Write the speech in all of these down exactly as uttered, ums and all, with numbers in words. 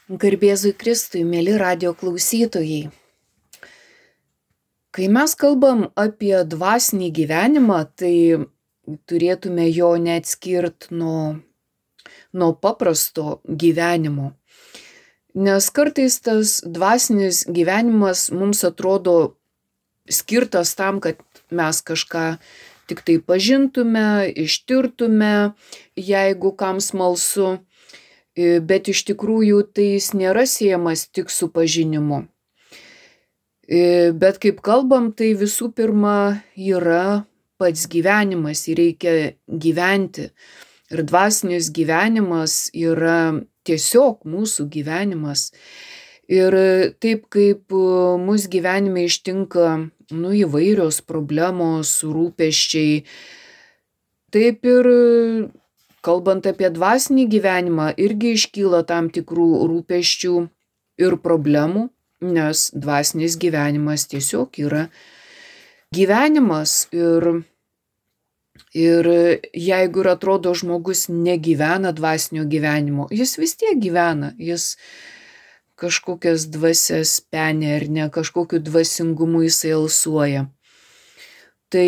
Garbėzui Kristui, mėly radio klausytojai. Kai mes kalbam apie dvasinį gyvenimą, tai turėtume jo neatskirt nuo, nuo paprasto gyvenimo. Nes kartais tas dvasinis gyvenimas mums atrodo skirtas tam, kad mes kažką tik tai pažintume, ištirtume, jeigu kam smalsu. Bet iš tikrųjų tai jis nėra siejamas tik su pažinimu. Bet kaip kalbam, tai visų pirma yra pats gyvenimas, jį reikia gyventi. Ir dvasinis gyvenimas yra tiesiog mūsų gyvenimas. Ir taip kaip mūsų gyvenime ištinka nu, įvairios problemos, rūpesčiai, taip ir kalbant apie dvasinį gyvenimą, irgi iškyla tam tikrų rūpesčių ir problemų, nes dvasinis gyvenimas tiesiog yra gyvenimas. Ir, ir jeigu ir atrodo žmogus negyvena dvasinio gyvenimo, jis vis tiek gyvena, jis kažkokias dvasias penė ar ne, kažkokiu dvasingumu jisai alsuoja. Tai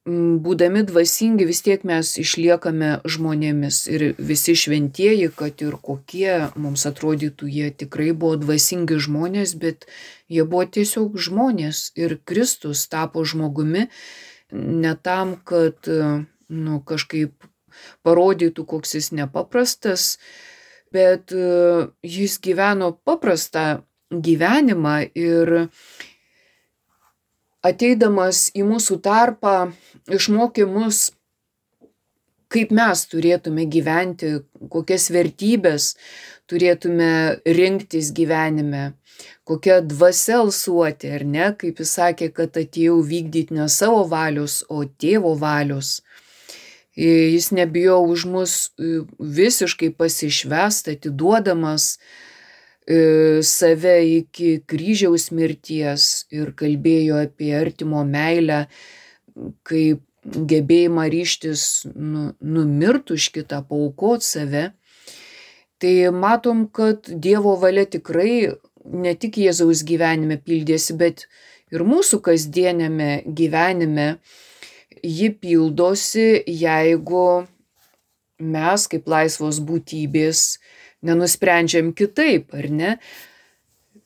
būdami dvasingi vis tiek mes išliekame žmonėmis ir visi šventieji, kad ir kokie mums atrodytų, jie tikrai buvo dvasingi žmonės, bet jie buvo tiesiog žmonės ir Kristus tapo žmogumi ne tam, kad nu, kažkaip parodytų, koks jis nepaprastas, bet jis gyveno paprastą gyvenimą ir ateidamas į mūsų tarpą išmokė mus, kaip mes turėtume gyventi, kokias vertybės turėtume rinktis gyvenime, kokia dvasia alsuoti, ar ne, kaip jis sakė, kad atėjau vykdyti ne savo valios, o tėvo valios. Jis nebijo už mus visiškai pasišvęst, atiduodamas save iki kryžiaus mirties ir kalbėjo apie artimo meilę, kaip gebėjimą ryžtis nu, numirt už kitą, paaukot save. Tai matom, kad Dievo valia tikrai ne tik Jėzaus gyvenime pildėsi, bet ir mūsų kasdienėme gyvenime ji pildosi, jeigu mes kaip laisvos būtybės nenusprendžiam kitaip, ar ne?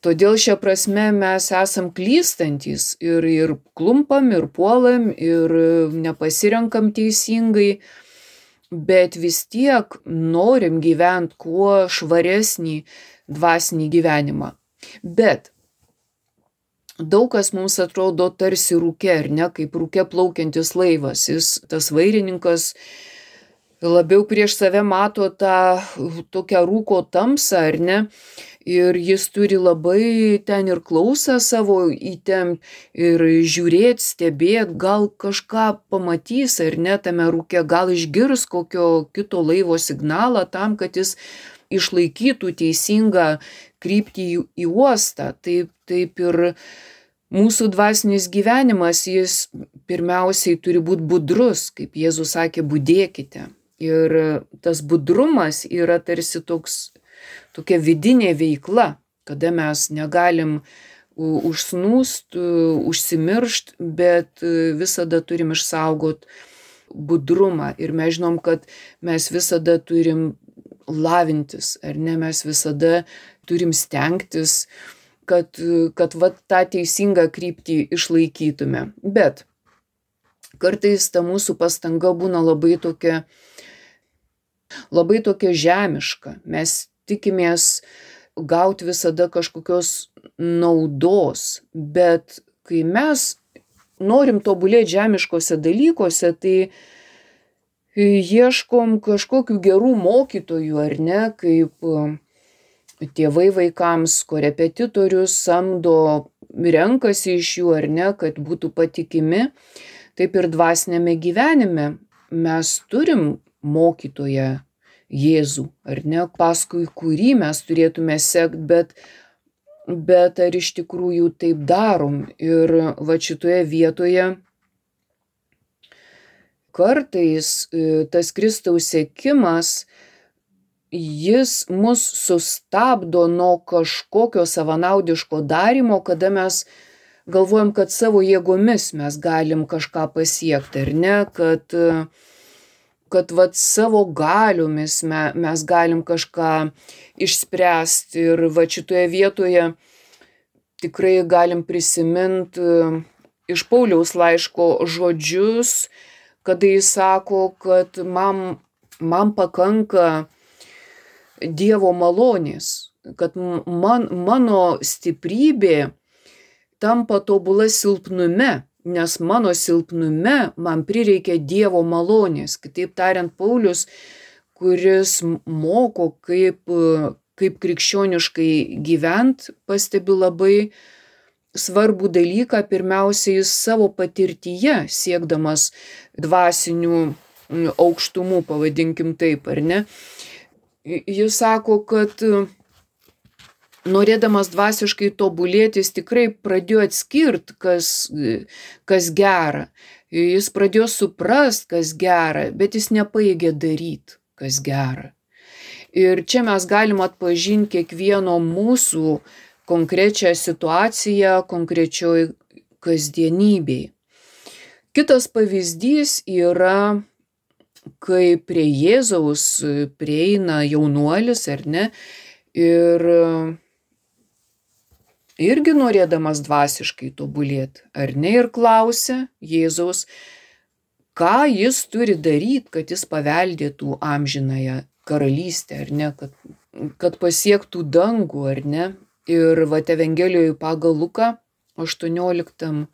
Todėl šią prasme mes esam klystantys ir, ir klumpam, ir puolam, ir nepasirenkam teisingai, bet vis tiek norim gyventi kuo švaresnį dvasinį gyvenimą. Bet daug kas mums atrodo tarsi rūke, ar ne, kaip rūke plaukiantis laivas. Jis, tas vairininkas, labiau prieš save mato tą tokią rūko tamsą, ar ne, ir jis turi labai ten ir klausą savo įtempt ir žiūrėt, stebėt, gal kažką pamatys, ar ne, tame rūke, gal išgirs kokio kito laivo signalą tam, kad jis išlaikytų teisingą kryptį į, į uostą. Taip, taip ir mūsų dvasinis gyvenimas, jis pirmiausiai turi būti budrus, kaip Jėzus sakė, budėkite. Ir tas budrumas yra tarsi toks, tokia vidinė veikla, kada mes negalim užsnūst, užsimiršt, bet visada turim išsaugot budrumą. Ir mes žinom, kad mes visada turim lavintis, ar ne, mes visada turim stengtis, kad, kad va, tą teisingą kryptį išlaikytume. Bet kartais ta mūsų pastanga būna labai tokia, labai tokia žemiška. Mes tikimės gauti visada kažkokios naudos, bet kai mes norim tobulėti žemiškose dalykuose, tai ieškom kažkokių gerų mokytojų, ar ne, kaip tėvai vaikams korepetitorius samdo, renkasi iš jų, ar ne, kad būtų patikimi. Taip ir dvasinėme gyvenime mes turim mokytoją Jėzų, ar ne, paskui kurį mes turėtume sekt, bet, bet ar iš tikrųjų taip darom. Ir va šitoje vietoje kartais tas Kristaus sekimas jis mus sustabdo nuo kažkokio savanaudiško darymo, kada mes galvojam, kad savo jėgomis mes galim kažką pasiekti, ar ne, kad, kad vat savo galiomis me, mes galim kažką išspręsti. Ir va šitoje vietoje tikrai galim prisiminti iš Pauliaus laiško žodžius, kada jis sako, kad man, man pakanka Dievo malonės, kad man, mano stiprybė tampa tobula silpnume, nes mano silpnume man prireikia Dievo malonės. Kitaip tariant, Paulius, kuris moko, kaip, kaip krikščioniškai gyvent, pastebi labai svarbų dalyką, pirmiausiai savo patirtyje, siekdamas dvasinių aukštumų, pavadinkim taip, ar ne. Jis sako, kad norėdamas dvasiškai tobulėti, jis tikrai pradėjo atskirti, kas, kas gera. Jis pradėjo suprast, kas gera, bet jis nepaėgė daryti, kas gera. Ir čia mes galim atpažinti kiekvieno mūsų konkrečią situaciją, konkrečioj kasdienybėj. Kitas pavyzdys yra, kai prie Jėzaus prieina jaunuolis, ar ne, ir irgi norėdamas dvasiškai tobulėti, ar ne, ir klausia Jėzaus, ką jis turi daryti, kad jis paveldėtų amžinąją karalystę, ar ne, kad, kad pasiektų dangų, ar ne. Ir vat Evangelijoje pagal Luką aštuonioliktam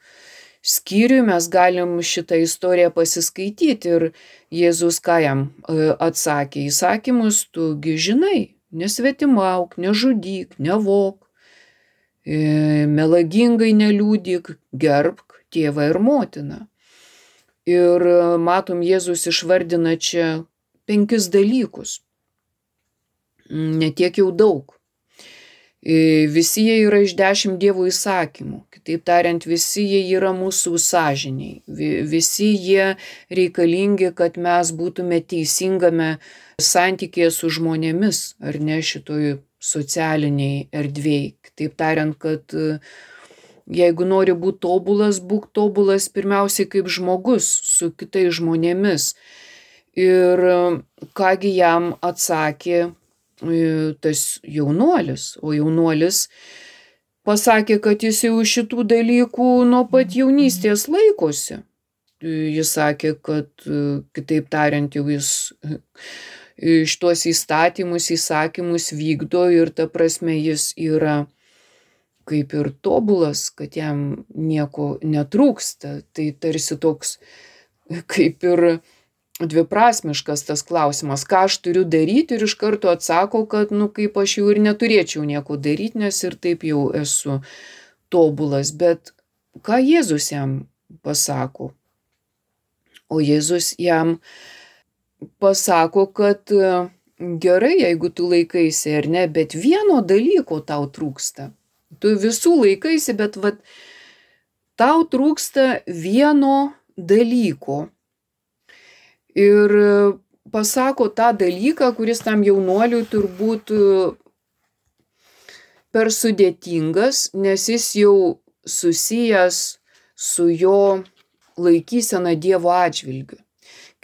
skyriui mes galim šitą istoriją pasiskaityti. Ir Jėzus ką jam atsakė? Įsakymus tugi žinai, nesvetimauk, nežudyk, nevok, melagingai neliūdyk, gerbk tėvą ir motiną. Ir matom, Jėzus išvardina čia penkis dalykus, ne tiek jau daug. Visi jie yra iš dešimt Dievo įsakymų. Kitaip tariant, visi jie yra mūsų sąžiniai. Visi jie reikalingi, kad mes būtume teisingame santykėje su žmonėmis, ar ne, šitoj socialiniai erdvėj. Kitaip tariant, kad jeigu nori būti tobulas, būk tobulas pirmiausiai kaip žmogus su kitais žmonėmis. Ir kągi jam atsakė tas jaunuolis, o jaunuolis pasakė, kad jis jau šitų dalykų nuo pat jaunystės laikosi. Jis sakė, kad kitaip tariant, jau jis šitos įstatymus, įsakymus vykdo ir ta prasme jis yra kaip ir tobulas, kad jam nieko netrūksta. Tai tarsi toks kaip ir dviprasmiškas tas klausimas, ką aš turiu daryti, ir iš karto atsako, kad nu kaip aš jau ir neturėčiau nieko daryti, nes ir taip jau esu tobulas. Bet ką Jėzus jam pasako? O Jėzus jam pasako, kad gerai, jeigu tu laikaisi ar ne, bet vieno dalyko tau trūksta. Tu visų laikaisi, bet vat, tau trūksta vieno dalyko. Ir pasako tą dalyką, kuris tam jaunuoliui turbūt per sudėtingas, nes jis jau susijęs su jo laikysena Dievo atžvilgiu.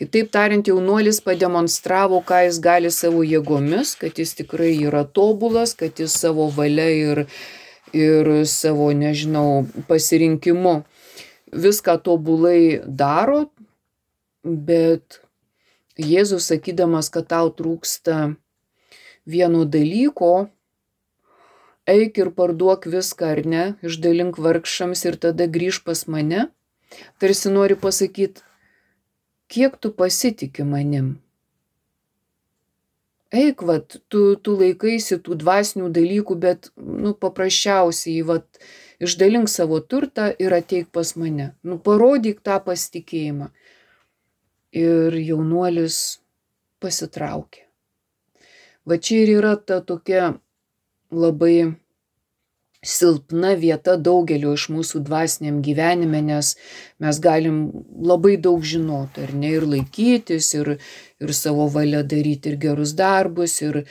Kitaip tariant, jaunuolis pademonstravo, ką jis gali savo jėgomis, kad jis tikrai yra tobulas, kad jis savo valia ir, ir savo, nežinau, pasirinkimu viską tobulai daro. Bet Jėzus sakydamas, kad tau trūksta vieno dalyko, eik ir parduok viską, ar ne, išdalink vargšams ir tada grįž pas mane, tarsi nori pasakyti, kiek tu pasitiki manim. Eik, vat, tu, tu laikaisi tų dvasinių dalykų, bet nu, paprasčiausiai vat, išdalink savo turtą ir ateik pas mane. Nu, parodyk tą pasitikėjimą. Ir jaunuolis pasitraukė. Va čia ir yra ta tokia labai silpna vieta daugelio iš mūsų dvasiniam gyvenime, nes mes galim labai daug žinoti, ar ne, ir laikytis, ir, ir savo valia daryti ir gerus darbus, ir,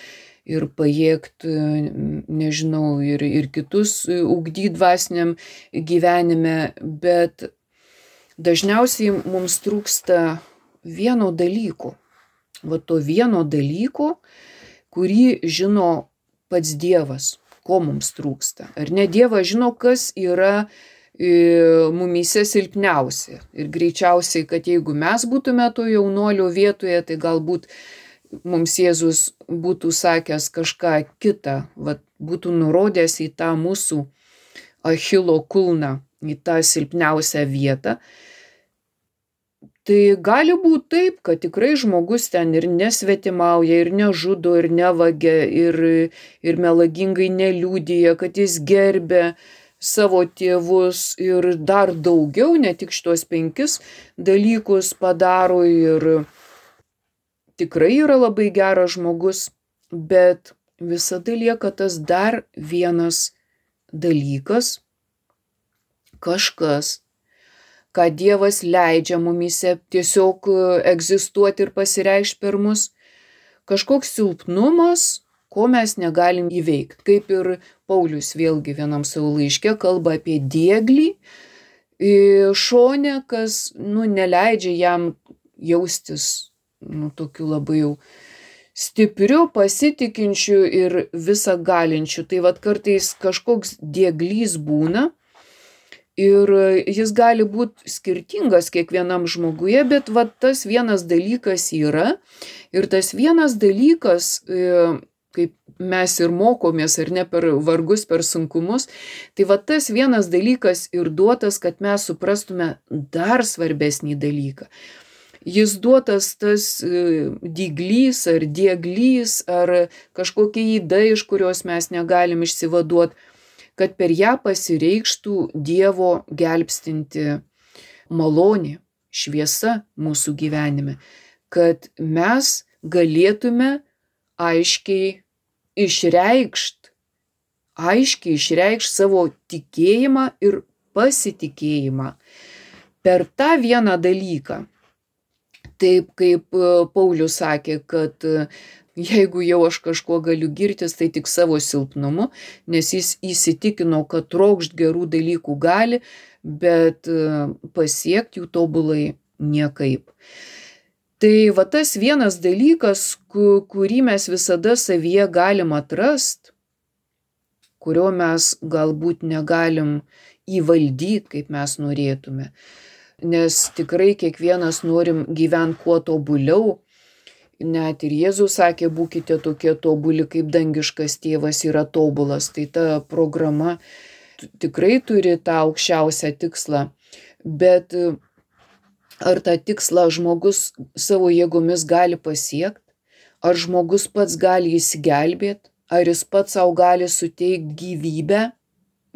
ir pajėgti, nežinau, ir, ir kitus ugdyti dvasiniam gyvenime, bet dažniausiai mums trūksta vieno dalyko. Va to vieno dalyko, kurį žino pats Dievas. Ko mums trūksta. Ar ne, Dievas žino, kas yra e, mumyse silpniausia. Ir greičiausiai, kad jeigu mes būtume to jaunuolio vietoje, tai galbūt mums Jėzus būtų sakęs kažką kitą, vat, būtų nurodęs į tą mūsų Achilo kulną, į tą silpniausią vietą. Tai gali būti taip, kad tikrai žmogus ten ir nesvetimauja, ir nežudo, ir nevagia, ir, ir melagingai neliudija, kad jis gerbia savo tėvus ir dar daugiau, ne tik šitos penkis dalykus padaro ir tikrai yra labai geras žmogus, bet visada lieka tas dar vienas dalykas, kažkas, ką Dievas leidžia mumyse tiesiog egzistuoti ir pasireikšti per mus, kažkoks silpnumas, ko mes negalim įveikti. Kaip ir Paulius vėlgi vienam savo laiške kalba apie dieglį šone, kas nu, neleidžia jam jaustis nu, tokiu labai jau stipriu, pasitikinčiu ir visą galinčiu. Tai vat kartais kažkoks dieglys būna, ir jis gali būti skirtingas kiekvienam žmoguje, bet va, tas vienas dalykas yra. Ir tas vienas dalykas, kaip mes ir mokomės, ar ne, per vargus, per sunkumus, tai va tas vienas dalykas ir duotas, kad mes suprastume dar svarbesnį dalyką. Jis duotas tas dyglys ar dieglys ar kažkokia yda, iš kurios mes negalim išsivaduoti, kad per ją pasireikštų Dievo gelbstinti malonė, šviesa mūsų gyvenime, kad mes galėtume aiškiai išreikšti, aiškiai išreikšti savo tikėjimą ir pasitikėjimą per tą vieną dalyką. Taip kaip Paulius sakė, kad jeigu jau aš kažkuo galiu girtis, tai tik savo silpnumu, nes jis įsitikino, kad trokšt gerų dalykų gali, bet pasiekti jų tobulai niekaip. Tai va tas vienas dalykas, kurį mes visada savyje galim atrast, kurio mes galbūt negalim įvaldyti, kaip mes norėtume, nes tikrai kiekvienas norim gyventi kuo tobuliau. Net ir Jėzus sakė, būkite tokie tobuli, kaip dangiškas tėvas yra tobulas. Tai ta programa tikrai turi tą aukščiausią tikslą. Bet ar tą tikslą žmogus savo jėgomis gali pasiekti? Ar žmogus pats gali įsigelbėti? Ar jis pats savo gali suteikti gyvybę,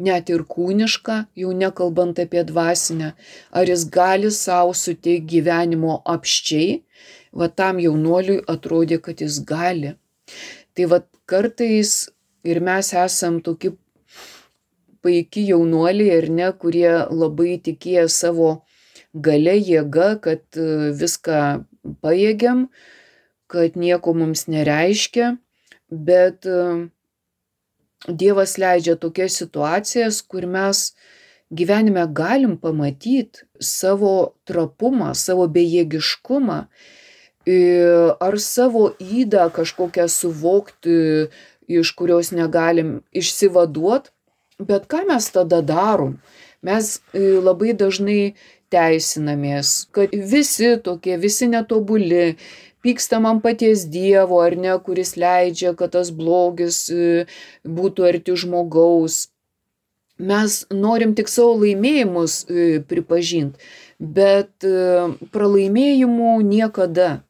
net ir kūnišką, jau nekalbant apie dvasinę? Ar jis gali savo suteikti gyvenimo apsčiai? Va tam jaunuoliui atrodė, kad jis gali. Tai va kartais ir mes esam tokie paiki jaunuoliai, ar ne, kurie labai tikėjo savo galia, jėga, kad viską pajėgiam, kad nieko mums nereiškia, bet Dievas leidžia tokias situacijas, kur mes gyvenime galim pamatyti savo trapumą, savo bejėgiškumą, ar savo ydą kažkokią suvokti, iš kurios negalim išsivaduot, bet ką mes tada darom? Mes labai dažnai teisinamės, kad visi tokie, visi netobuli, pykstam ant paties Dievo, ar ne, kuris leidžia, kad tas blogis būtų arti žmogaus. Mes norim tik savo laimėjimus pripažinti, bet pralaimėjimų niekada.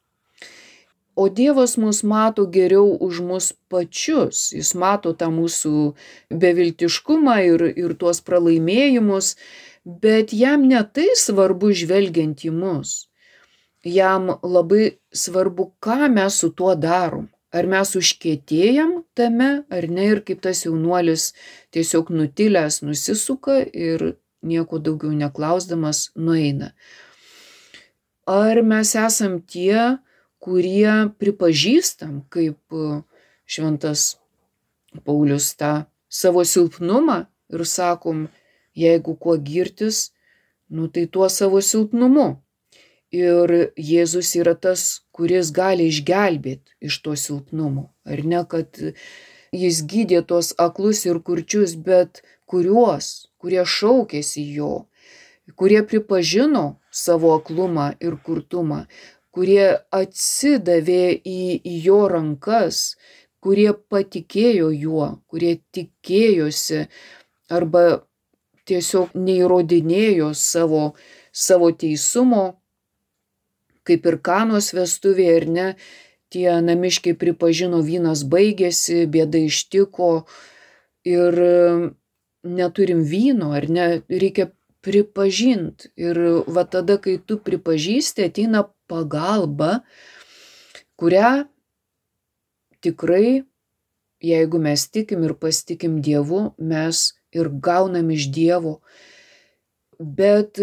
O Dievas mus mato geriau už mus pačius. Jis mato tą mūsų beviltiškumą ir, ir tuos pralaimėjimus, bet jam ne tai svarbu žvelgiant į mus. Jam labai svarbu, ką mes su tuo darom. Ar mes užkietėjam tame, ar ne, ir kaip tas jaunuolis tiesiog nutilęs nusisuka ir nieko daugiau neklausdamas nueina. Ar mes esam tie, kurie pripažįstam, kaip šventas Paulius, tą savo silpnumą ir sakom, jeigu kuo girtis, nu tai tuo savo silpnumu. Ir Jėzus yra tas, kuris gali išgelbėti iš to silpnumo. Ar ne, kad jis gydė tos aklus ir kurčius, bet kuriuos, kurie šaukėsi jo, kurie pripažino savo aklumą ir kurtumą, kurie atsidavė į, į jo rankas, kurie patikėjo juo, kurie tikėjosi arba tiesiog neįrodinėjo savo, savo teisumo, kaip ir Kanos vestuvėje, ar ne, tie namiškiai pripažino, vynas baigėsi, bėda ištiko ir neturim vyno, ar ne, reikia pripažinti. Ir va tada, kai tu pripažįsti, ateina pagalba, kurią tikrai, jeigu mes tikim ir pasitikim Dievu, mes ir gaunam iš Dievo. Bet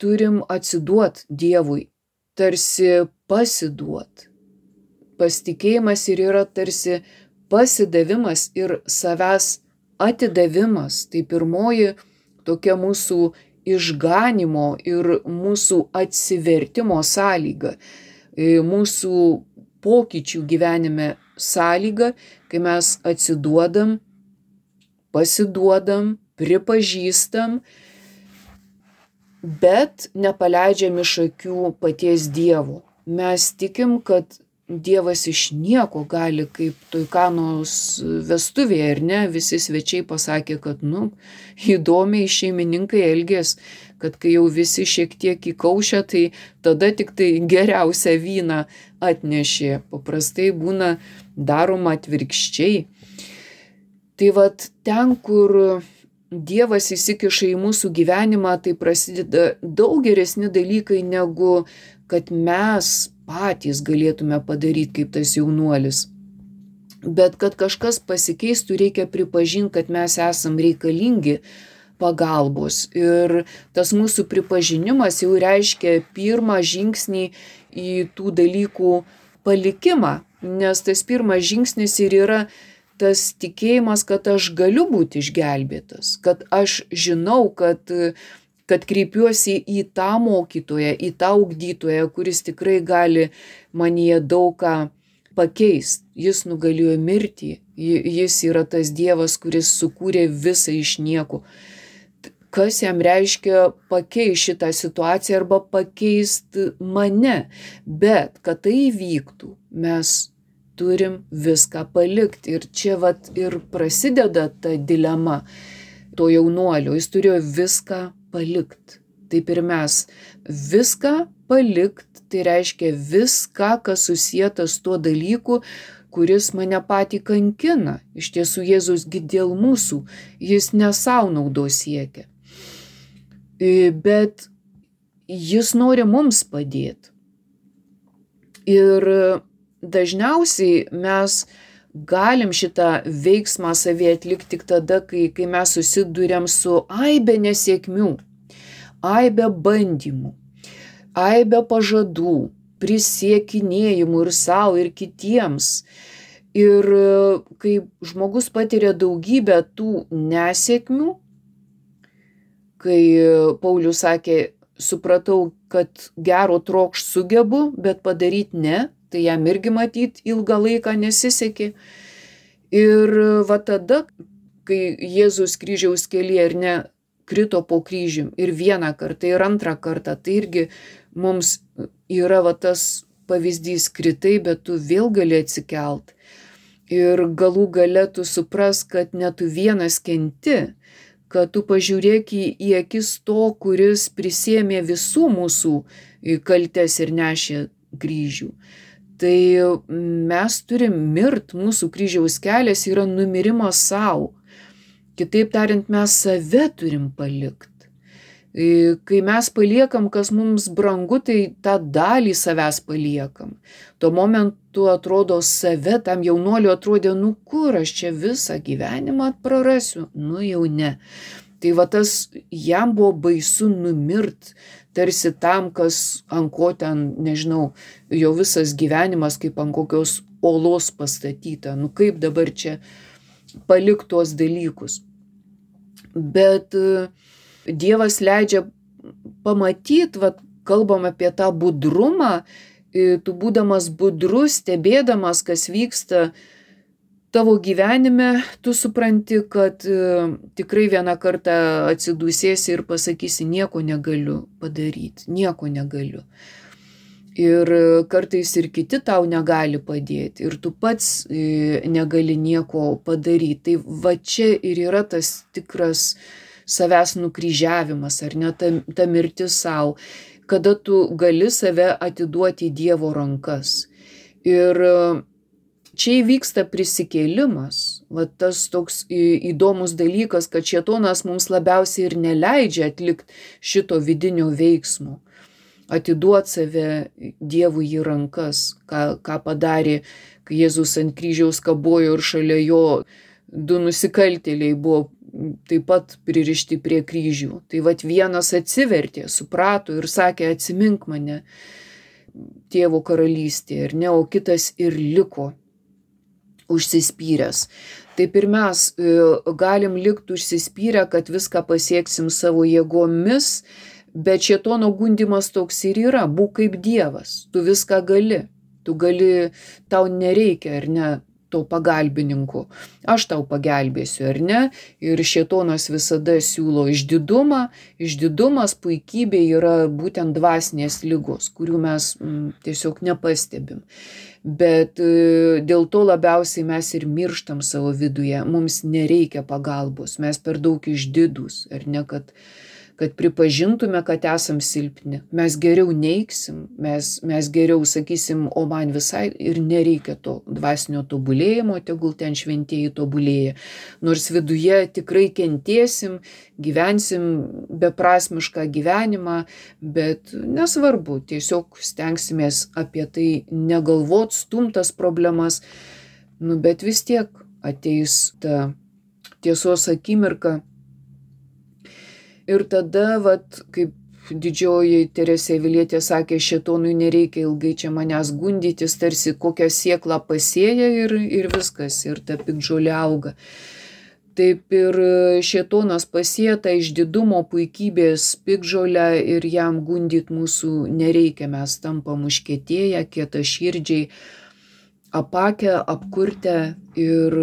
turim atsiduot Dievui, tarsi pasiduot. Pasitikėjimas ir yra tarsi pasidavimas ir savęs atidavimas. Tai pirmoji tokia mūsų išganimo ir mūsų atsivertimo sąlyga, mūsų pokyčių gyvenime sąlyga, kai mes atsiduodam, pasiduodam, pripažįstam, bet nepaleidžiam iš akių paties Dievo. Mes tikim, kad Dievas iš nieko gali, kaip toj Kanos vestuvėje, ar ne, visi svečiai pasakė, kad, nu, įdomiai šeimininkai elgės, kad kai jau visi šiek tiek įkaušę, tai tada tik tai geriausią vyną atnešė. Paprastai būna daroma atvirkščiai. Tai vat ten, kur Dievas įsikiša į mūsų gyvenimą, tai prasideda daug geresni dalykai, negu kad mes patys galėtume padaryti kaip tas jaunuolis. Bet kad kažkas pasikeistų, reikia pripažinti, kad mes esam reikalingi pagalbos. Ir tas mūsų pripažinimas jau reiškia pirmą žingsnį į tų dalykų palikimą, nes tas pirmas žingsnis ir yra tas tikėjimas, kad aš galiu būti išgelbėtas, kad aš žinau, kad, kad kreipiuosi į tą mokytoją, į tą ugdytoją, kuris tikrai gali manyje daug ką pakeisti. Jis nugalėjo mirtį, jis yra tas Dievas, kuris sukūrė visą iš nieko. Kas jam reiškia pakeisti šitą situaciją arba pakeisti mane, bet kad tai įvyktų, mes turim viską palikti. Ir čia vat ir prasideda ta dilema to jaunuolio. Jis turėjo viską palikti. Taip ir mes. Viską palikti, tai reiškia viską, kas susieta su tuo dalyku, kuris mane patį kankina. Iš tiesų Jėzusgi dėl mūsų, jis ne savo naudos siekia. Bet jis nori mums padėti. Ir dažniausiai mes galim šitą veiksmą savyje atlikti tik tada, kai, kai mes susiduriam su aibe nesėkmių, aibe bandymų, aibe pažadų, prisiekinėjimų ir savo, ir kitiems. Ir kai žmogus patiria daugybę tų nesėkmių, kai Paulius sakė, supratau, kad gero trokšt sugebu, bet padaryti ne, tai jam irgi matyt ilgą laiką nesisekė. Ir va tada, kai Jėzus kryžiaus kelyje ir ne krito po kryžium ir vieną kartą, ir antrą kartą, tai irgi mums yra va tas pavyzdys, kritai, bet tu vėl gali atsikelt. Ir galų gale tu supras, kad ne tu vienas kenti, kad tu pažiūrėk į, į akis to, kuris prisėmė visų mūsų kaltes ir nešė kryžių. Tai mes turim mirt, mūsų kryžiaus kelias yra numirimas savo. Kitaip tariant, mes save turim palikti. Kai mes paliekam, kas mums brangu, tai tą dalį savęs paliekam. Tuo momentu atrodo save, tam jaunuoliu atrodė, nu kur aš čia visą gyvenimą prarasiu, nu jau ne. Tai va tas jam buvo baisu numirt, tarsi tam, kas ant ko ten, nežinau, jo visas gyvenimas kaip ant kokios olos pastatyta, nu kaip dabar čia palikt tuos dalykus. Bet Dievas leidžia pamatyt, va, kalbam apie tą budrumą, tu būdamas budrus, stebėdamas, kas vyksta tavo gyvenime, tu supranti, kad tikrai vieną kartą atsidūsėsi ir pasakysi, nieko negaliu padaryti, nieko negaliu. Ir kartais ir kiti tau negali padėti, ir tu pats negali nieko padaryti. Tai va čia ir yra tas tikras savęs nukryžiavimas, ar ne, ta, ta mirtis savo, kada tu gali save atiduoti į Dievo rankas. Ir čia įvyksta prisikėlimas, va tas toks įdomus dalykas, kad šėtonas mums labiausiai ir neleidžia atlikti šito vidinio veiksmo, atiduoti save Dievui į rankas, ką, ką padarė, kai Jėzus ant kryžiaus kabojo ir šalia jo du nusikaltėliai buvo taip pat pririšti prie kryžių. Tai vat vienas atsivertė, suprato ir sakė, atsimink mane Tėvo karalystėje, ir ne, o kitas ir liko užsispyręs. Taip ir mes galim likti užsispyrę, kad viską pasieksim savo jėgomis, bet šėtono gundymas toks ir yra, būk kaip Dievas, tu viską gali, tu gali, tau nereikia, ar ne, to pagalbininko, aš tau pagelbėsiu, ar ne, ir šėtonas visada siūlo išdidumą, išdidumas, puikybė yra būtent dvasinės ligos, kurių mes m, tiesiog nepastebim. Bet e, dėl to labiausiai mes ir mirštam savo viduje, mums nereikia pagalbos, mes per daug išdidūs, ar ne, kad kad pripažintume, kad esam silpni. Mes geriau neiksim, mes, mes geriau sakysim, o man visai ir nereikia to dvasinio tobulėjimo, tegul ten šventieji tobulėja. Nors viduje tikrai kentėsim, gyvensim beprasmišką gyvenimą, bet nesvarbu, tiesiog stengsimės apie tai negalvot, stumtas problemas, nu, bet vis tiek ateis ta tiesos akimirka. Ir tada, vat, kaip didžioji Teresė Avilietė sakė, šėtonui nereikia ilgai čia manęs gundytis, tarsi kokią sėklą pasėja ir, ir viskas, ir ta piktžolė auga. Taip ir šėtonas pasėja tą išdidumo, puikybės piktžolę ir jam gundyt mūsų nereikia, mes tampam užkietėję, kietaširdžiai, apakę, apkurtę ir...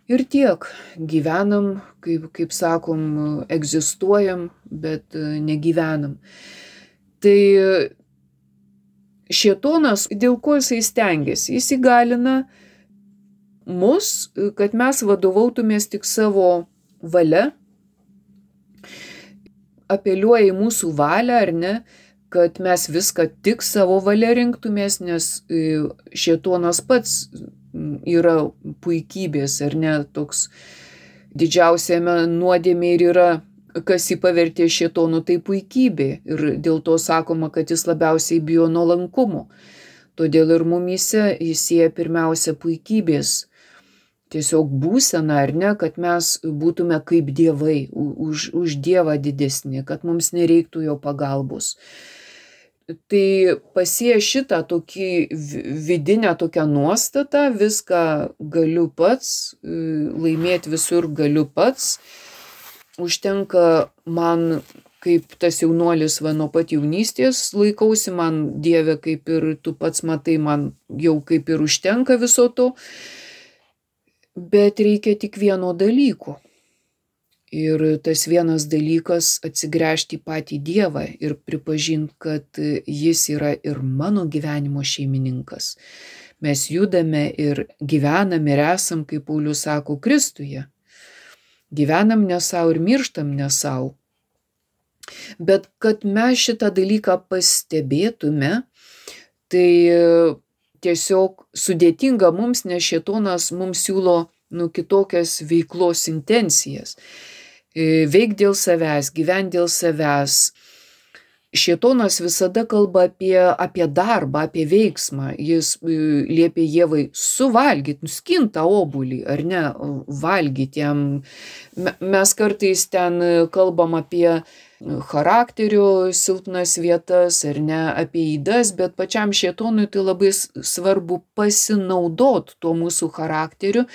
Ir tiek, gyvenam, kaip, kaip sakom, egzistuojam, bet negyvenam. Tai šėtonas, dėl ko jisai stengiasi, jis įgalina mus, kad mes vadovautumės tik savo valia, apeliuoja į mūsų valią, ar ne, kad mes viską tik savo valia rinktumės, nes šėtonas pats yra puikybės, ar ne, toks didžiausiame nuodėmė ir yra, kas jį pavertė šėtonu, tai puikybė. Ir dėl to sakoma, kad jis labiausiai bijo nuolankumo. Todėl ir mumyse jis sieja pirmiausia puikybės. Tiesiog būsena, ar ne, kad mes būtume kaip dievai, už, už Dievą didesni, kad mums nereiktų jo pagalbos. Tai pasėję šitą tokį vidinę tokią nuostatą, viską galiu pats, laimėti visur galiu pats. Užtenka man, kaip tas jaunuolis va nuo pat jaunystės laikausi, man Dieve, kaip ir tu pats matai, man jau kaip ir užtenka viso to. Bet reikia tik vieno dalyko. Ir tas vienas dalykas atsigręžti į patį Dievą ir pripažinti, kad jis yra ir mano gyvenimo šeimininkas. Mes judame ir gyvenam ir esam, kaip Paulius sako, Kristuje. Gyvenam ne savo ir mirštam ne savo. Bet kad mes šitą dalyką pastebėtume, tai tiesiog sudėtinga mums, nes šėtonas mums siūlo nu, kitokias veiklos intencijas. veik dėl savęs, gyvent dėl savęs. Šėtonas visada kalba apie, apie darbą, apie veiksmą. Jis liepė Ievai suvalgyti, nuskint tą obuolį, ar ne, valgyti jam. Mes kartais ten kalbam apie charakterio silpnas vietas, ar ne, apie ydas, bet pačiam šėtonui tai labai svarbu pasinaudot tuo mūsų charakteriu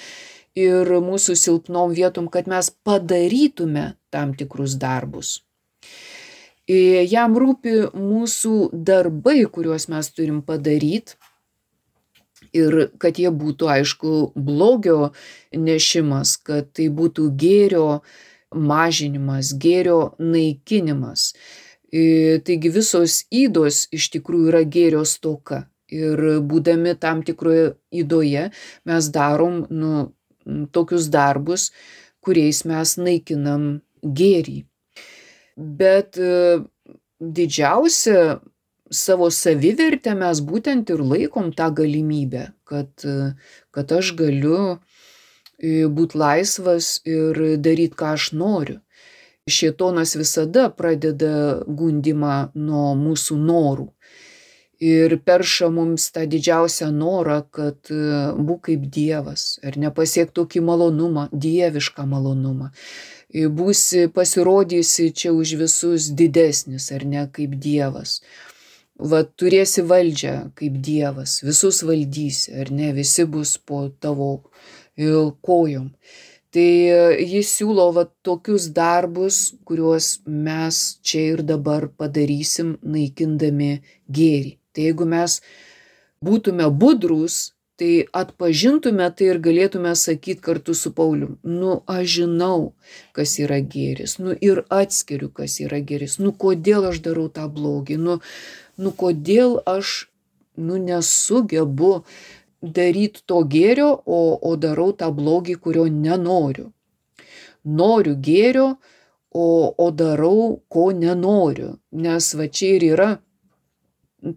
ir mūsų silpnom vietom, kad mes padarytume tam tikrus darbus. Jam rūpi mūsų darbai, kuriuos mes turim padaryti ir kad jie būtų, aišku, blogio nešimas, kad tai būtų gėrio mažinimas, gėrio naikinimas. Taigi visos ydos iš tikrųjų yra gėrio stoka ir būdami tam tikroje ydoje mes darom nu, tokius darbus, kuriais mes naikinam gėrį. Bet didžiausia savo savivertę mes būtent ir laikom tą galimybę, kad, kad aš galiu būti laisvas ir daryti, ką aš noriu. Šėtonas visada pradeda gundimą nuo mūsų norų ir perša mums tą didžiausią norą, kad būk kaip Dievas, ar nepasiek tokį malonumą, dievišką malonumą. Būsi pasirodysi čia už visus didesnis, ar ne, kaip Dievas. Va, turėsi valdžią kaip Dievas, visus valdysi, ar ne, visi bus po tavo kojom. Tai jis siūlo va, tokius darbus, kuriuos mes čia ir dabar padarysim, naikindami gėrį. Tai jeigu mes būtume budrus, tai atpažintume tai ir galėtume sakyti kartu su Paulium, nu aš žinau, kas yra gėris, nu ir atskiriu, kas yra gėris, nu kodėl aš darau tą blogį, nu, nu kodėl aš nu, nesugebu daryti to gėrio, o, o darau tą blogį, kurio nenoriu. Noriu gėrio, o, o darau, ko nenoriu, nes va čia ir yra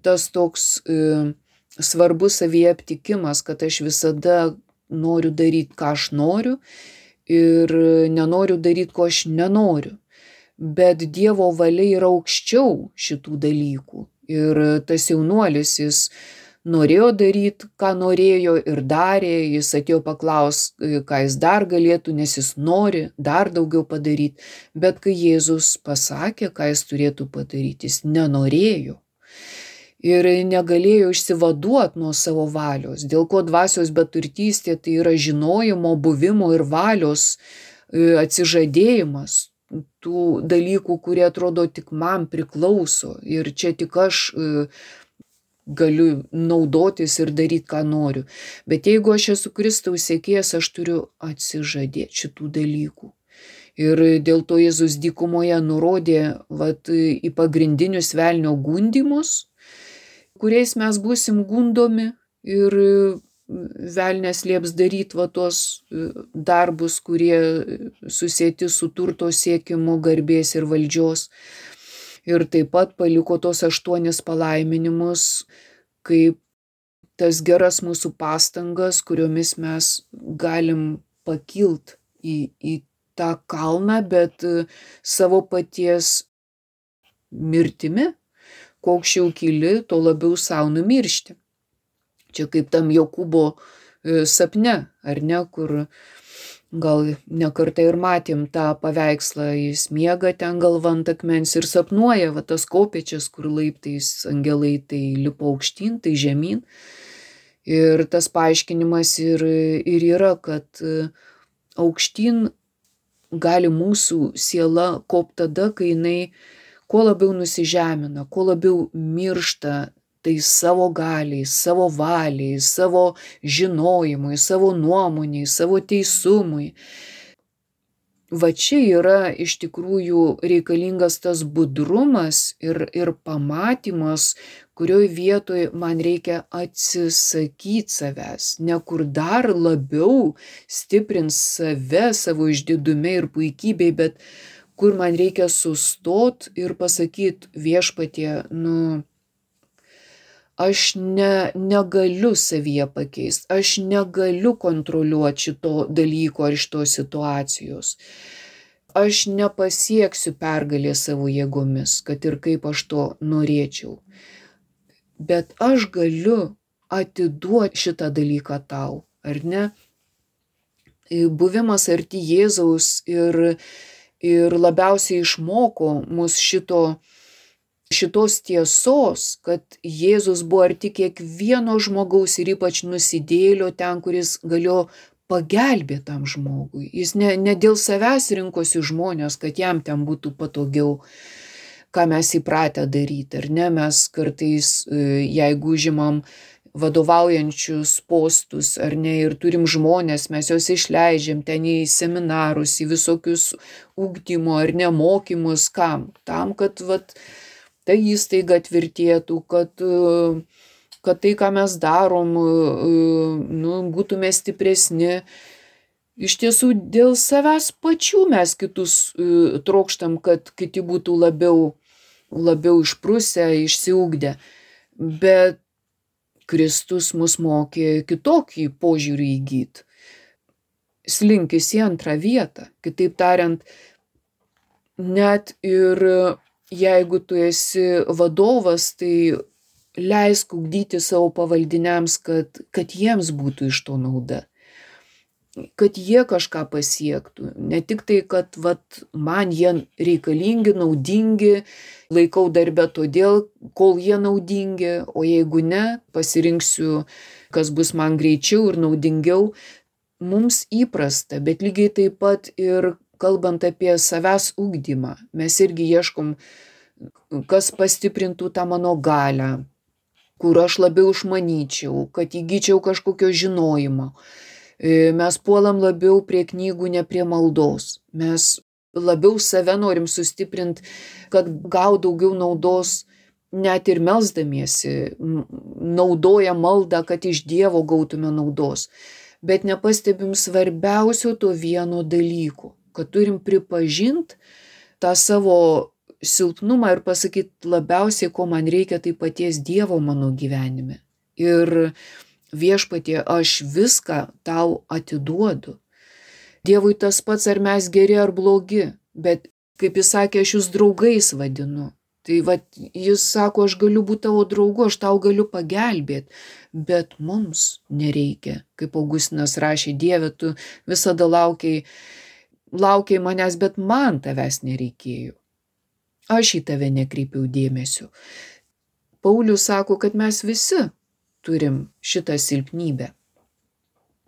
tas toks e, svarbus savyje aptikimas, kad aš visada noriu daryti, ką aš noriu ir nenoriu daryti, ko aš nenoriu. Bet Dievo valia yra aukščiau šitų dalykų. Ir tas jaunuolis, jis norėjo daryti, ką norėjo ir darė, jis atėjo paklaus, ką jis dar galėtų, nes jis nori dar daugiau padaryti. Bet kai Jėzus pasakė, ką jis turėtų padaryti, jis nenorėjo. Ir negalėjo išsivaduoti nuo savo valios, dėl ko dvasios beturtystė tai yra žinojimo, buvimo ir valios atsižadėjimas tų dalykų, kurie atrodo tik man priklauso ir čia tik aš galiu naudotis ir daryti, ką noriu. Bet jeigu aš esu Kristaus sekėjas, aš turiu atsižadėti šitų dalykų. Ir dėl to Jėzus dykumoje nurodė vat, į pagrindinius velnio gundymus, kuriais mes būsim gundomi ir velnias lieps daryti va tos darbus, kurie susieti su turto siekimu, garbės ir valdžios. Ir taip pat paliko tos aštuonis palaiminimus, kaip tas geras mūsų pastangas, kuriomis mes galim pakilt į, į tą kalną, bet savo paties mirtimi. Kuo aukščiau kyli, to labiau savo numiršti. Čia kaip tam Jokūbo sapne, ar ne, kur gal nekartą ir matėm tą paveikslą, jis miega ten galva ant akmens ir sapnuoja va tas kopėčias, kur laiptais angelai tai lipa aukštyn, tai žemyn. Ir tas paaiškinimas ir, ir yra, kad aukštyn gali mūsų siela kopti tada, kai jinai kuo labiau nusižemina, kuo labiau miršta tai savo galiai, savo valiai, savo žinojimui, savo nuomoniai, savo teisumui. Va čia yra iš tikrųjų reikalingas tas budrumas ir, ir pamatymas, kurioj vietoj man reikia atsisakyti savęs, ne kur dar labiau stiprint save savo išdidume ir puikybei, bet kur man reikia sustot ir pasakyti viešpatie, nu, aš ne, negaliu savyje pakeisti, aš negaliu kontroliuoti šito dalyko ar šitos situacijos. aš nepasieksiu pergalės savo jėgomis, kad ir kaip aš to norėčiau. Bet aš galiu atiduoti šitą dalyką tau, ar ne? Buvimas arti Jėzaus ir, ir labiausiai išmoko mus šito, šitos tiesos, kad Jėzus buvo arti kiekvieno žmogaus ir ypač nusidėjėlio ten, kuris galėjo pagelbėti tam žmogui. Jis ne, ne dėl savęs rinkosi žmonės, kad jam ten būtų patogiau, ką mes įpratę daryti, ar ne? Mes kartais, jeigu užimam vadovaujančius postus, ar ne, ir turim žmonės, mes juos išleidžiam ten į seminarus, į visokius ugdymo ar ne mokymus, kam? Tam, kad vat, ta įstaiga tvirtėtų, kad, kad tai, ką mes darom, nu, būtume stipresni. Iš tiesų, dėl savęs pačių mes kitus trokštam, kad kiti būtų labiau, labiau išprusę, išsiugdę. Bet Kristus mus mokė kitokį požiūrį įgyti. Slinkis į antrą vietą. Kitaip tariant, net ir jeigu tu esi vadovas, tai leisk ugdyti savo pavaldiniams, kad, kad jiems būtų iš to nauda. Kad jie kažką pasiektų. Ne tik tai, kad vat, man jie reikalingi, naudingi, laikau darbę todėl, kol jie naudingi, o jeigu ne, pasirinksiu, kas bus man greičiau ir naudingiau. Mums įprasta, bet lygiai taip pat ir kalbant apie savęs ugdymą, mes irgi ieškom, kas pastiprintų tą mano galią, kur aš labiau išmanyčiau, kad įgyčiau kažkokio žinojimo. Mes puolam labiau prie knygų, ne prie maldos. Mes labiau save norim sustiprinti, kad gaut daugiau naudos, net ir melsdamiesi, naudoja maldą, kad iš Dievo gautume naudos. Bet nepastebim svarbiausio to vieno dalyko, kad turim pripažinti tą savo silpnumą ir pasakyti labiausiai, ko man reikia, tai paties Dievo mano gyvenime. Ir Viešpatie, aš viską tau atiduodu. Dievui tas pats, ar mes geri ar blogi, bet, kaip jis sakė, aš jūs draugais vadinu. Tai vat, jis sako, aš galiu būti tavo draugu, aš tau galiu pagelbėti, bet mums nereikia. Kaip Augustinas rašė, Dieve, tu visada laukiai, laukiai manęs, bet man tavęs nereikėjo. Aš į tave nekreipiau dėmesio. Paulius sako, kad mes visi turim šitą silpnybę.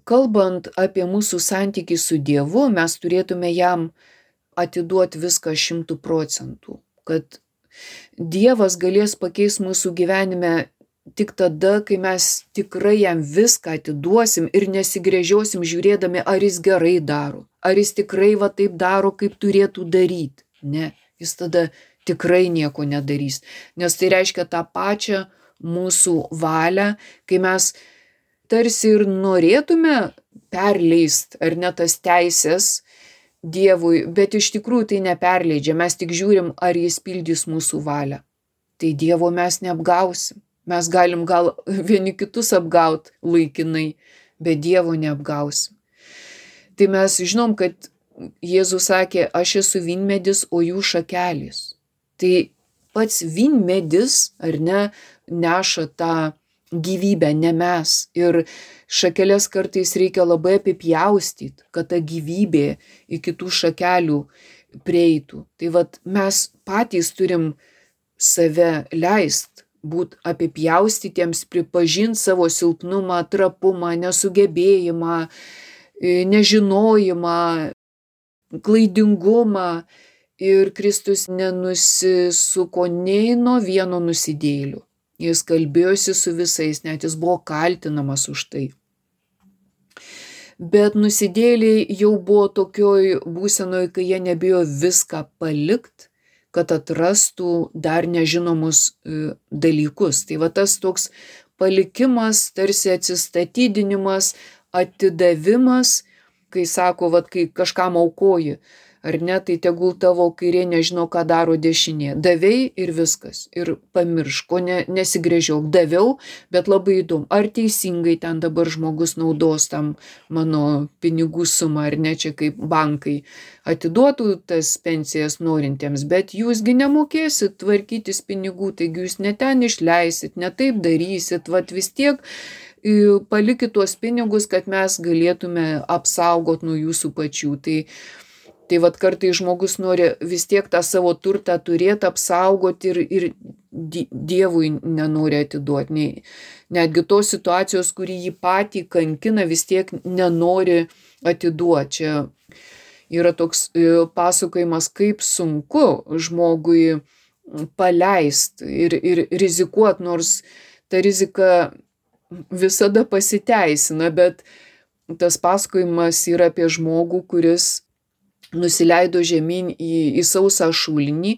Kalbant apie mūsų santykį su Dievu, mes turėtume jam atiduoti viską šimtų procentų, kad Dievas galės pakeisti mūsų gyvenime tik tada, kai mes tikrai jam viską atiduosim ir nesigręžiosim žiūrėdami, ar jis gerai daro, ar jis tikrai va taip daro, kaip turėtų daryti. Ne, jis tada tikrai nieko nedarys, nes tai reiškia tą pačią mūsų valią, kai mes tarsi ir norėtume perleist, ar ne tas teisės Dievui, bet iš tikrųjų tai neperleidžia, mes tik žiūrim, ar jis pildys mūsų valią. Tai Dievo mes neapgausim. Mes galim gal vieni kitus apgaut laikinai, bet Dievo neapgausim. Tai mes žinom, kad Jėzus sakė, aš esu vynmedis, o jų šakelės. Tai pats vynmedis, ar ne, neša tą gyvybę, ne mes. Ir šakeles kartais reikia labai apipjaustyti, kad ta gyvybė iki tų šakelių prieitų. Tai vat mes patys turim save leist, būt apipjaustytiems, pripažinti savo silpnumą, trapumą, nesugebėjimą, nežinojimą, klaidingumą. Ir Kristus nenusisuko nei nuo vieno nusidėjėlio. Jis kalbėjosi su visais, net jis buvo kaltinamas už tai. Bet nusidėjėliai jau buvo tokioj būsenoj, kai jie nebijo viską palikti, kad atrastų dar nežinomus dalykus. Tai va tas toks palikimas, tarsi atsistatydinimas, atidavimas, kai sako, va, kai kažkam aukoji, ar ne, tai tegul tavo kairė nežino, ką daro dešinė. Davei ir viskas. Ir pamiršk, ko ne, nesigrėžiok. Daviau, bet labai įdomu, ar teisingai ten dabar žmogus naudos tam mano pinigų sumą, ar ne, čia kaip bankai atiduotų tas pensijas norintiems, bet jūsgi nemokėsit tvarkytis pinigų, taigi jūs ne ten išleisit, ne taip darysit, vat vis tiek palikit tuos pinigus, kad mes galėtume apsaugot nuo jūsų pačių. Tai, tai vat kartai žmogus nori vis tiek tą savo turtą turėti, apsaugoti ir, ir Dievui nenori atiduoti. Nei, netgi tos situacijos, kuri jį patį kankina, vis tiek nenori atiduoti. Čia yra toks pasakojimas, kaip sunku žmogui paleisti ir, ir rizikuoti, nors ta rizika visada pasiteisina, bet tas pasakojimas yra apie žmogų, kuris nusileido žemyn į, į sausą šulinį,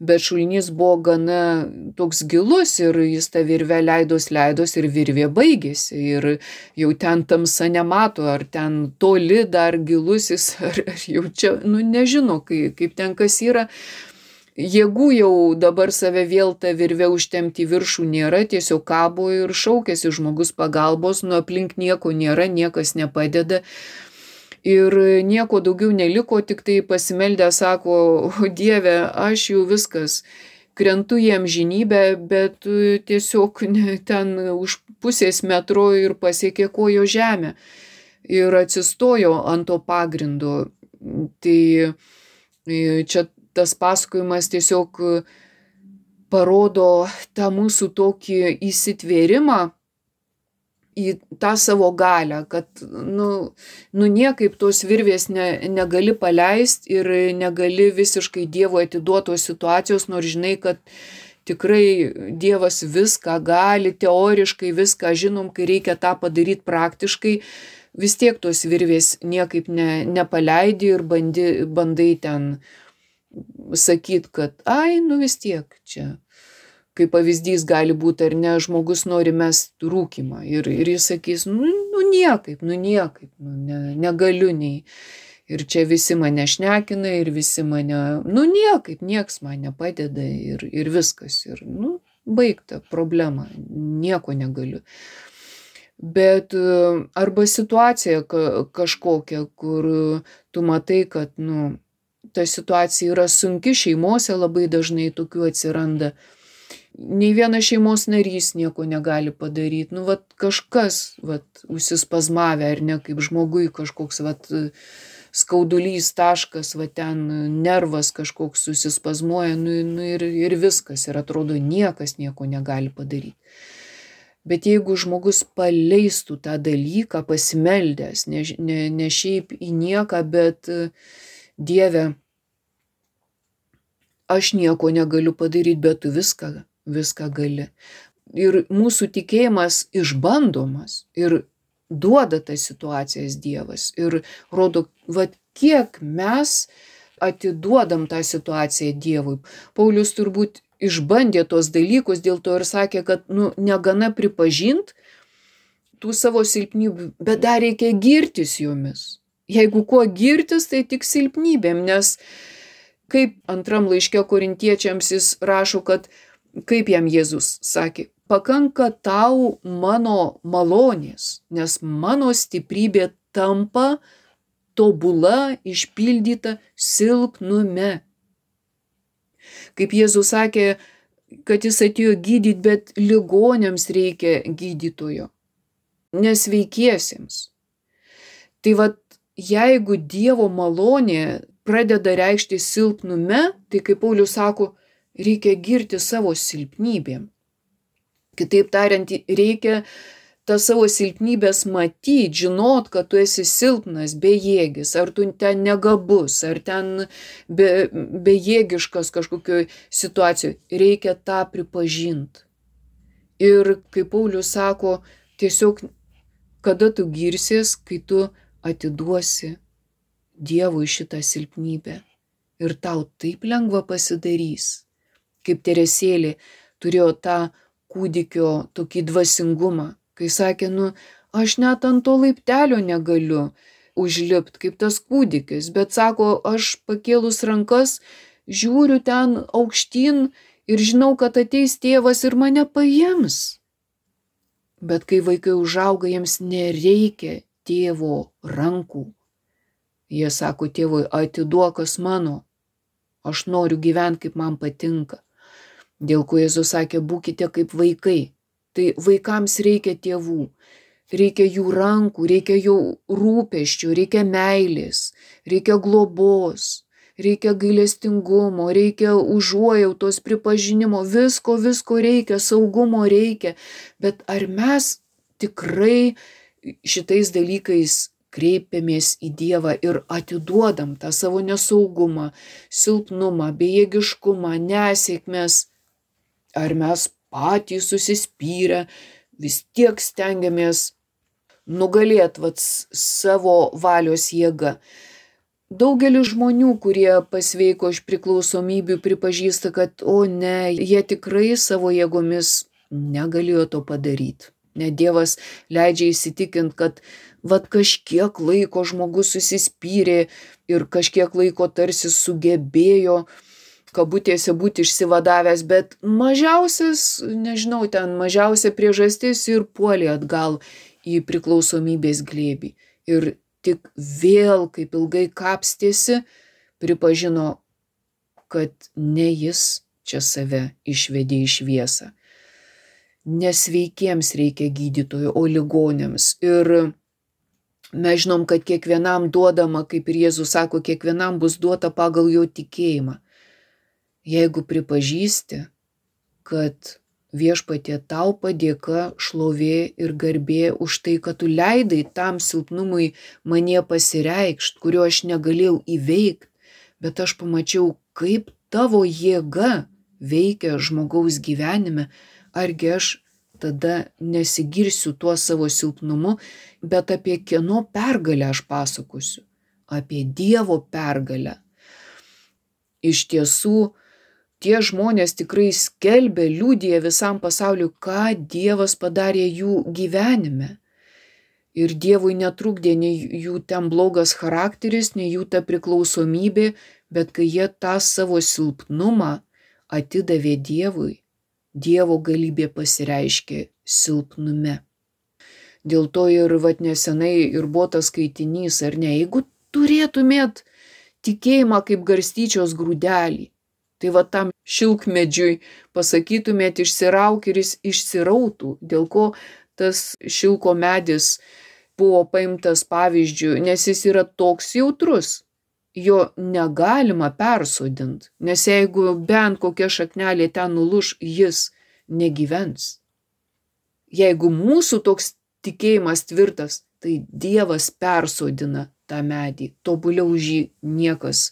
bet šulinys buvo gana toks gilus ir jis tą virvę leidos leidos ir virvė baigėsi ir jau ten tamsa nemato, ar ten toli dar gilusis, ar, ar jau čia, nu nežino, kaip, kaip ten kas yra. Jėgų jau dabar save vėl tą virvę užtempti į viršų nėra, tiesiog kabo ir šaukėsi žmogus pagalbos, nu aplink nieko nėra, niekas nepadeda. Ir nieko daugiau neliko, tik tai pasimeldę sako, o Dieve, aš jau viskas, krentu į amžinybę, bet tiesiog ten už pusės metro ir pasiekė kojo žemę. Ir atsistojo ant to pagrindo. Tai čia tas pasakojimas tiesiog parodo tą mūsų tokį įsitvėrimą į tą savo galią, kad nu, nu niekaip tos virvės ne, negali paleisti ir negali visiškai Dievui atiduotos situacijos, nors žinai, kad tikrai Dievas viską gali, teoriškai viską žinom, kai reikia tą padaryti praktiškai, vis tiek tos virvės niekaip ne, nepaleidi ir bandi, bandai ten sakyt, kad ai, nu vis tiek čia, kaip pavyzdys gali būti, ar ne, žmogus nori mest rūkymą ir, ir jis sakys, nu, nu niekaip, nu niekaip, nu, ne, negaliu nei. Ir čia visi mane šnekina ir visi mane, nu niekaip, nieks man nepadeda ir, ir viskas. Ir, nu, baigta problema, nieko negaliu. Bet arba situacija kažkokia, kur tu matai, kad, nu, ta situacija yra sunki, šeimose labai dažnai tokių atsiranda. Nei vienas šeimos narys nieko negali padaryti. Nu, vat kažkas, vat, užsispazmavę, ar ne, kaip žmogui kažkoks, vat, skaudulys taškas, vat, ten nervas kažkoks susispazmuoja, nu, nu ir, ir viskas. Ir atrodo, niekas nieko negali padaryti. Bet jeigu žmogus paleistų tą dalyką, pasimeldęs, ne, ne, ne šiaip į nieką, bet Dieve, aš nieko negaliu padaryti, bet tu viską, viską gali. Ir mūsų tikėjimas išbandomas ir duoda tas situacijas Dievas. Ir rodo, vat kiek mes atiduodam tą situaciją Dievui. Paulius turbūt išbandė tos dalykus, dėl to ir sakė, kad nu, negana pripažint tų savo silpnybių, bet dar reikia girtis jomis. Jeigu kuo girtis, tai tik silpnybėm, nes kaip antram laiške korintiečiams jis rašo, kad kaip jam Jėzus sakė, pakanka tau mano malonės, nes mano stiprybė tampa tobula, išpildyta silpnume. Kaip Jėzus sakė, kad jis atėjo gydyti, bet ligoniams reikia gydytojo, nesveikiesiems. Tai vat, jeigu Dievo malonė pradeda reikšti silpnume, tai kaip Paulius sako, reikia girti savo silpnybėm. Kitaip tariant, reikia tą savo silpnybės matyti, žinot, kad tu esi silpnas, bejėgis, ar tu ten negabus, ar ten be, bejėgiškas kažkokioj situacijoje. Reikia tą pripažinti. Ir kaip Paulius sako, tiesiog kada tu girsies, kai tu atiduosi Dievui šitą silpnybę. Ir tau taip lengva pasidarys. Kaip Teresėlė turėjo tą kūdikio tokį dvasingumą, kai sakė, nu, aš net ant to laiptelio negaliu užlipt, kaip tas kūdikis, bet sako, aš pakėlus rankas, žiūriu ten aukštyn ir žinau, kad ateis tėvas ir mane paims. Bet kai vaikai užauga, jiems nereikia tėvo rankų. Jie sako tėvui, atiduok kas mano, aš noriu gyventi, kaip man patinka. Dėl ko Jėzus sakė, būkite kaip vaikai. Tai vaikams reikia tėvų, reikia jų rankų, reikia jų rūpesčių, reikia meilės, reikia globos, reikia gailestingumo, reikia užuojautos, pripažinimo, visko, visko reikia, saugumo reikia. Bet ar mes tikrai šitais dalykais kreipiamės į Dievą ir atiduodam tą savo nesaugumą, silpnumą, bejėgiškumą, nesėkmes? Ar mes patys susispyrę vis tiek stengiamės nugalėti vat, savo valios jėgą? Daugelis žmonių, kurie pasveiko iš priklausomybių, pripažįsta, kad o ne, jie tikrai savo jėgomis negalėjo to padaryti. Ne, Dievas leidžia įsitikinti, kad vat kažkiek laiko žmogus susispyrė ir kažkiek laiko tarsi sugebėjo kabutėse būti išsivadavęs, bet mažiausias, nežinau, ten mažiausia priežastis ir puolė atgal į priklausomybės glėbį. Ir tik vėl, kaip ilgai kapstėsi, pripažino, kad ne jis čia save išvedė į šviesą. Nesveikiems reikia gydytojų, o ligoniams. Ir mes žinom, kad kiekvienam duodama, kaip ir Jėzus sako, kiekvienam bus duota pagal jo tikėjimą. Jeigu pripažįsti, kad Viešpatie tau padėka, šlovė ir garbė už tai, kad tu leidai tam silpnumui manie pasireikšt, kurio aš negalėjau įveikti, bet aš pamačiau, kaip tavo jėga veikia žmogaus gyvenime, argi aš tada nesigirsiu tuo savo silpnumu, bet apie kieno pergalę aš pasakosiu, apie Dievo pergalę. Iš tiesų, tie žmonės tikrai skelbia, liudija visam pasauliu, ką Dievas padarė jų gyvenime. Ir Dievui netrukdė nei jų ten blogas charakteris, nei jų ta priklausomybė, bet kai jie tą savo silpnumą atidavė Dievui, Dievo galybė pasireiškė silpnume. Dėl to ir vat nesenai ir buvo tas skaitinys, ar ne, jeigu turėtumėt tikėjimą kaip garstyčios grūdelį, tai va tam šilkmedžiui pasakytumėt išsirauk ir jis išsirautų, dėl ko tas šilko medis buvo paimtas pavyzdžiu, nes jis yra toks jautrus, jo negalima persodinti, nes jeigu bent kokia šaknelė ten nuluš, jis negyvens. Jeigu mūsų toks tikėjimas tvirtas, tai Dievas persodina tą medį, tobuliau už jį niekas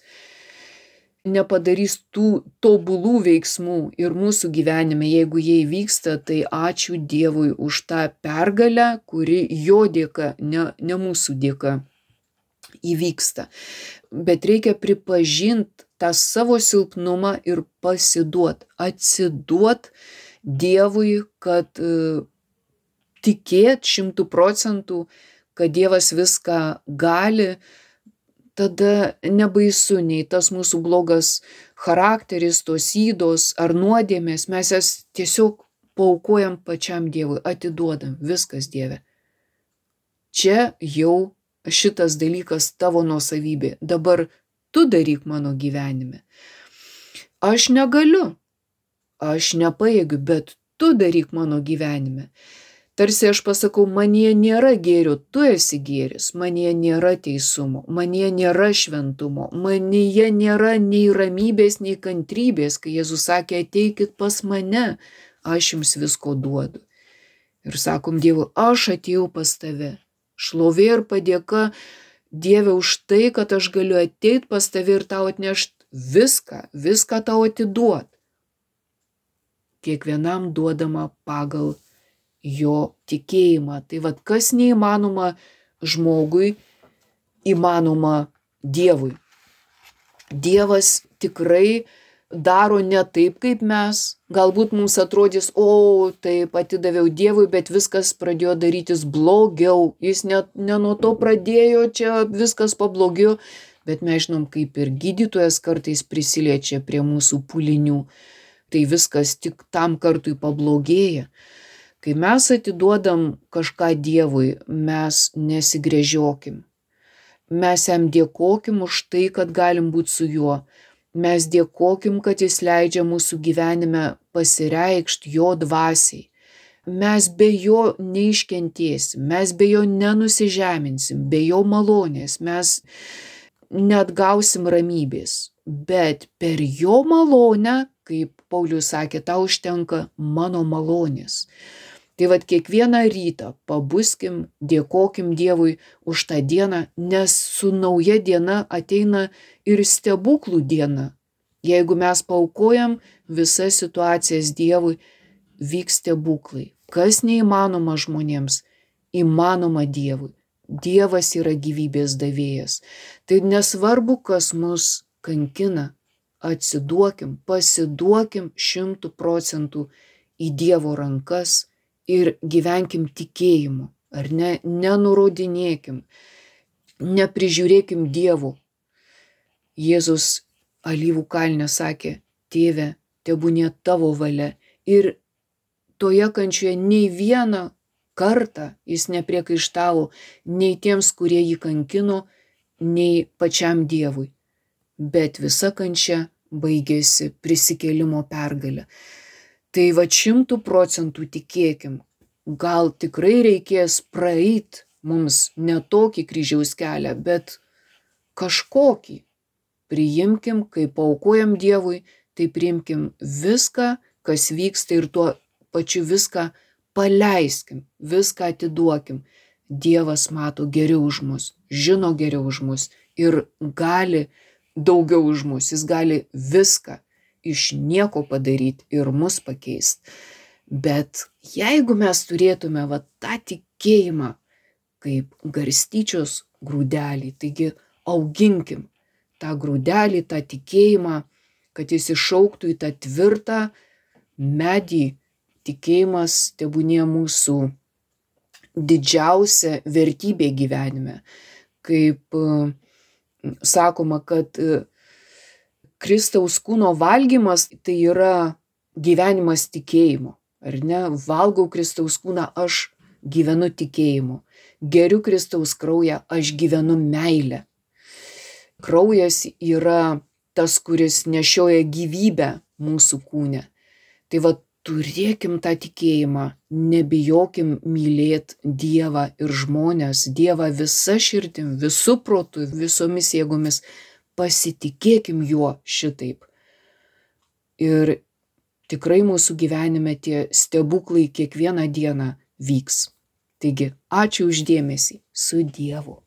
nepadarys tų tobulų veiksmų ir mūsų gyvenime, jeigu jie įvyksta, tai ačiū Dievui už tą pergalę, kuri jo dėka, ne, ne mūsų dėka įvyksta. Bet reikia pripažinti tą savo silpnumą ir pasiduot, atsiduot Dievui, kad uh, tikėt šimtų procentų, kad Dievas viską gali, tada nebaisu nei tas mūsų blogas charakteris, tos ydos ar nuodėmės, mes jas tiesiog paaukojam pačiam Dievui, atiduodam, viskas Dieve. Čia jau šitas dalykas tavo nuosavybė, dabar tu daryk mano gyvenime. Aš negaliu, aš nepajėgiu, bet tu daryk mano gyvenime. Tarsi aš pasakau, manyje nėra gėrio, tu esi gėris, manyje nėra teisumo, manyje nėra šventumo, manyje nėra nei ramybės, nei kantrybės, kai Jėzus sakė, ateikit pas mane, aš jums visko duodu. Ir sakom Dievui, aš atėjau pas tave, šlovė ir padėka Dieve už tai, kad aš galiu ateiti pas tave ir tau atnešti viską, viską tau atiduot. Kiekvienam duodama pagal jo tikėjimą. Tai vad, kas neįmanoma žmogui, įmanoma Dievui. Dievas tikrai daro ne taip, kaip mes. Galbūt mums atrodys, o, taip atidaviau Dievui, bet viskas pradėjo darytis blogiau. Jis ne, ne nuo to pradėjo, čia viskas pablogėjo. Bet mes žinom, kaip ir gydytojas kartais prisiliečia prie mūsų pūlinių. Tai viskas tik tam kartui pablogėja. Kai mes atiduodam kažką Dievui, mes nesigręžiokim. Mes jam dėkokim už tai, kad galim būti su juo. Mes dėkokim, kad jis leidžia mūsų gyvenime pasireikšti jo dvasiai. Mes be jo neiškentėsim, mes be jo nenusižeminsim, be jo malonės, mes neatgausim ramybės. Bet per jo malonę, kaip Paulius sakė, tau užtenka mano malonės. Tai vat kiekvieną rytą pabuskim, dėkokim Dievui už tą dieną, nes su nauja diena ateina ir stebuklų diena. Jeigu mes paaukojam visas situacijas Dievui, vyks stebuklai. Kas neįmanoma žmonėms, įmanoma Dievui. Dievas yra gyvybės davėjas. Tai nesvarbu, kas mus kankina, atsiduokim, pasiduokim šimtų procentų į Dievo rankas ir gyvenkim tikėjimu, ar ne, nenurodinėkim, neprižiūrėkim Dievo. Jėzus alyvų kalne sakė, Tėve, tebūnie tavo valia. Ir toje kančioje nei vieną kartą jis nepriekaištavo nei tiems, kurie jį kankino, nei pačiam Dievui. Bet visa kančia baigėsi prisikėlimo pergalę. Tai va šimtų procentų tikėkim, gal tikrai reikės praeit mums ne tokį kryžiaus kelią, bet kažkokį. Priimkim, kai paaukojam Dievui, tai priimkim viską, kas vyksta ir tuo pačiu viską paleiskim, viską atiduokim. Dievas mato geriau už mus, žino geriau už mus ir gali daugiau už mus, jis gali viską iš nieko padaryti ir mus pakeisti. Bet jeigu mes turėtume va tą tikėjimą kaip garstyčios grūdelį, taigi auginkim tą grūdelį, tą tikėjimą, kad jis išaugtų į tą tvirtą medį. Tikėjimas tebūnie mūsų didžiausia vertybė gyvenime. Kaip sakoma, kad Kristaus kūno valgymas tai yra gyvenimas tikėjimu. Ar ne? Valgau Kristaus kūną, aš gyvenu tikėjimu. Geriu Kristaus kraują, aš gyvenu meilę. Kraujas yra tas, kuris nešioja gyvybę mūsų kūne. Tai va, turėkim tą tikėjimą, nebijokim mylėti Dievą ir žmonės, Dievą visa širdim, visų protų, visomis jėgomis, pasitikėkim juo šitaip. Ir tikrai mūsų gyvenime tie stebuklai kiekvieną dieną vyks. Taigi, ačiū už dėmesį, su Dievu.